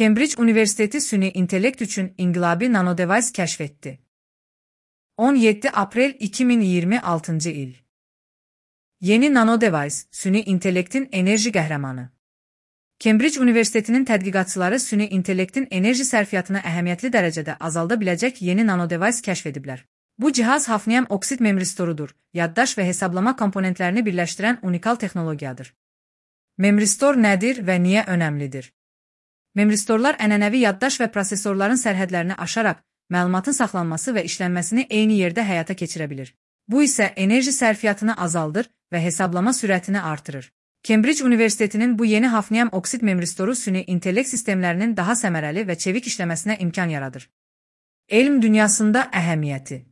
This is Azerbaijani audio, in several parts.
Cambridge Universiteti süni intellekt üçün inqilabi nanodevice kəşf etdi. 17 aprel 2026 il. Yeni nanodevice, süni intellektin enerji qəhrəmanı. Cambridge Universitetinin tədqiqatçıları süni intellektin enerji sərfiyyatını əhəmiyyətli dərəcədə azalda biləcək yeni nanodevice kəşf ediblər. Bu cihaz hafnium oksid memristorudur, yaddaş və hesablama komponentlərini birləşdirən unikal texnologiyadır. Memristor nədir və niyə önəmlidir? Memristorlar ənənəvi yaddaş və prosesorların sərhədlərini aşaraq məlumatın saxlanması və işlənməsini eyni yerdə həyata keçirə bilir. Bu isə enerji sərfiyyatını azaldır və hesablama sürətini artırır. Cambridge Universitetinin bu yeni hafnium oksid memristoru süni intellekt sistemlərinin daha səmərəli və çevik işləməsinə imkan yaradır. Elm dünyasında əhəmiyyəti.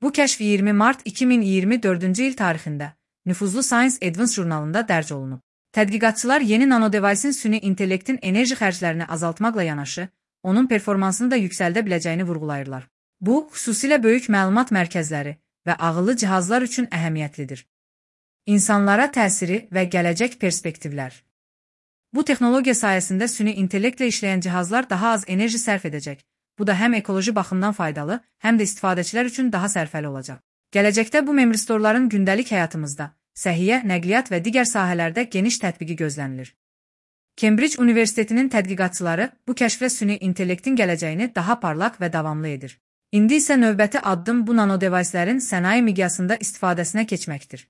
Bu kəşf 20 mart 2024 il tarixində nüfuzlu Science Advance jurnalında dərc olunub. Tədqiqatçılar yeni nanodevice'in süni intellektin enerji xərclərini azaltmaqla yanaşı, onun performansını da yüksəldə biləcəyini vurğulayırlar. Bu, xüsusilə böyük məlumat mərkəzləri və ağıllı cihazlar üçün əhəmiyyətlidir. İnsanlara təsiri və gələcək perspektivlər. Bu texnologiya sayəsində süni intellektlə işləyən cihazlar daha az enerji sərf edəcək. Bu da həm ekoloji baxımdan faydalı, həm də istifadəçilər üçün daha sərfəli olacaq. Gələcəkdə bu memristorların gündəlik həyatımızda, səhiyyə, nəqliyyat və digər sahələrdə geniş tətbiqi gözlənilir. Cambridge Universitetinin tədqiqatçıları bu kəşflə süni intellektin gələcəyini daha parlaq və davamlı edir. İndi isə növbəti addım bu nanodevice'lərin sənaye miqyasında istifadəsinə keçməkdir.